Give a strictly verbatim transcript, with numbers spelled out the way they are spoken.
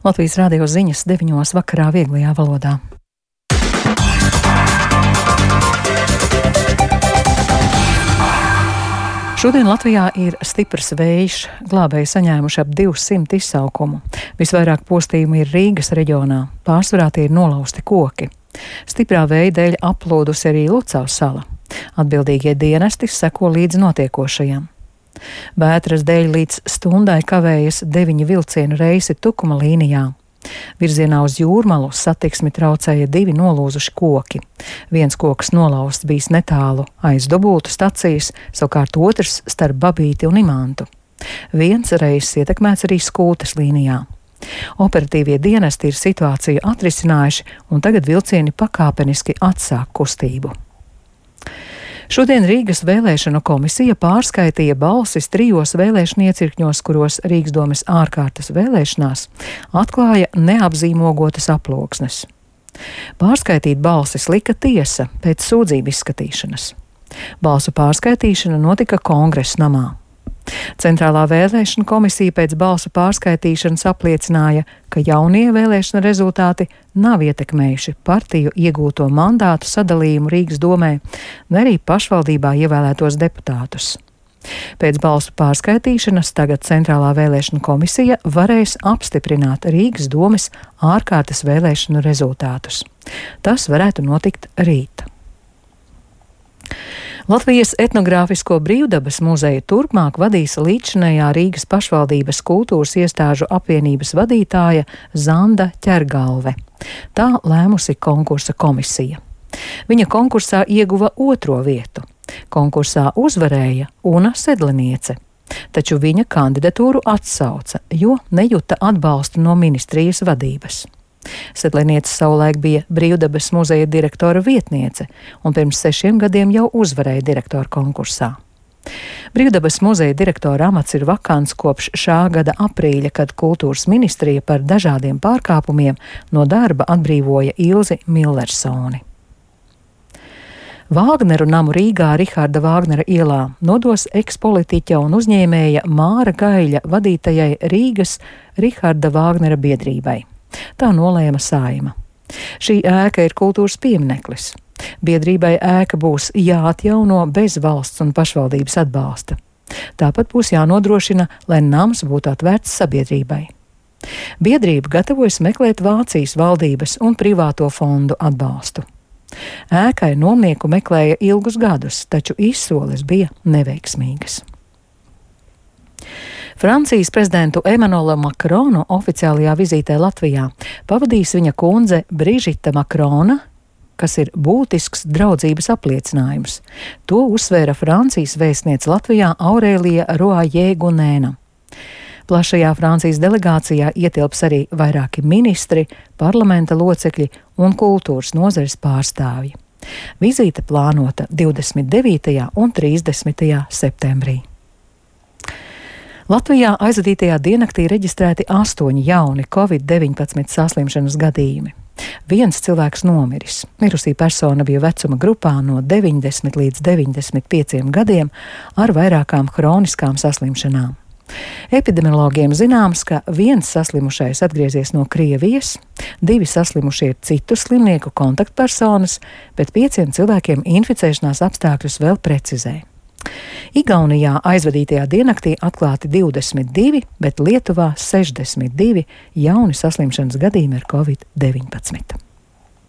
Latvijas radio ziņas deviņos vakarā vieglajā valodā. Šodien Latvijā ir stiprs vējš, glābēji saņēmuši ap divsimt izsaukumu. Visvairāk postījumu ir Rīgas reģionā, pārsvarā tie ir nolausti koki. Stiprā vēja dēļ aplūdusi arī Lucavas sala. Atbildīgie dienesti seko līdz notiekošajam. Vētras dēļ līdz stundai kavējas deviņi vilcienu reisi Tukuma līnijā. Virzienā uz Jūrmalu satiksmi traucēja divi nolūzuši koki. Viens koks nolausts bijis netālu aiz Dubultu stacijas, savukārt otrs starp Babīti un Imantu. Viens reiss ietekmēts arī Skultes līnijā. Operatīvie dienesti ir situāciju atrisinājuši, un tagad vilcieni pakāpeniski atsāk kustību. Šodien Rīgas vēlēšanu komisija pārskaitīja balsis trijos vēlēšanu iecirkņos, kuros Rīgas domes ārkārtas vēlēšanās atklāja neapzīmogotas aploksnes. Pārskaitīt balsis lika tiesa pēc sūdzību izskatīšanas. Balsu pārskaitīšana notika Kongresa namā. Centrālā vēlēšana komisija pēc balsu pārskaitīšanas apliecināja, ka jaunie vēlēšana rezultāti nav ietekmējuši partiju iegūto mandātu sadalījumu Rīgas domē, ne arī pašvaldībā ievēlētos deputātus. Pēc balsu pārskaitīšanas tagad Centrālā vēlēšana komisija varēs apstiprināt Rīgas domes ārkārtas vēlēšanu rezultātus. Tas varētu notikt rīt. Latvijas etnogrāfisko brīvdabas muzeju turpmāk vadīs līdzinējā Rīgas pašvaldības kultūras iestāžu apvienības vadītāja Zanda Ķergalve. Tā lēmusi konkursa komisija. Viņa konkursā ieguva otro vietu. Konkursā uzvarēja Una Sedliniece, taču viņa kandidatūru atsauca, jo nejuta atbalstu no ministrijas vadības. Sedliniece savulaik bija Brīvdabas muzeja direktora vietniece un pirms sešiem gadiem jau uzvarēja direktora konkursā. Brīvdabas muzeja direktora amats ir vakants kopš šā gada aprīļa, kad kultūras ministrija par dažādiem pārkāpumiem no darba atbrīvoja Ilzi Millersoni. Vāgneru namu Rīgā Riharda Vāgnera ielā nodos ekspolitiķa un uzņēmēja Māra Gaiļa vadītajai Rīgas Riharda Vāgnera biedrībai. Tā nolēma Saeima. Šī ēka ir kultūras piemineklis. Biedrībai ēka būs jāatjauno bez valsts un pašvaldības atbalsta. Tāpat būs jānodrošina, lai nams būtu atvērts sabiedrībai. Biedrība gatavojas meklēt Vācijas valdības un privāto fondu atbalstu. Ēkai nomnieku meklēja ilgus gadus, taču izsoles bija neveiksmīgas. Francijas prezidentu Emanuelu Makronu oficiālajā vizītē Latvijā pavadīs viņa kundze Brižita Makrona, kas ir būtisks draudzības apliecinājums. To uzsvēra Francijas vēstniece Latvijā Aurēlija Roajē Gunēna. Plašajā Francijas delegācijā ietilps arī vairāki ministri, parlamenta locekļi un kultūras nozares pārstāvji. Vizīte plānota divdesmit devītajā un trīsdesmitajā septembrī. Latvijā aizvadītajā diennaktī reģistrēti astoņi jauni covid deviņpadsmit saslimšanas gadījumi. Viens cilvēks nomiris. Mirusī persona bija vecuma grupā no deviņdesmit līdz deviņdesmit pieciem gadiem ar vairākām hroniskām saslimšanām. Epidemiologiem zināms, ka viens saslimušais atgriezies no Krievijas, divi saslimušie ir citu slimnieku kontaktpersonas, bet pieciem cilvēkiem inficēšanās apstākļus vēl precizē. Igaunijā aizvadītajā diennaktī atklāti divdesmit divi, bet Lietuvā sešdesmit divi jauni saslimšanas gadījumi ar covid deviņpadsmit.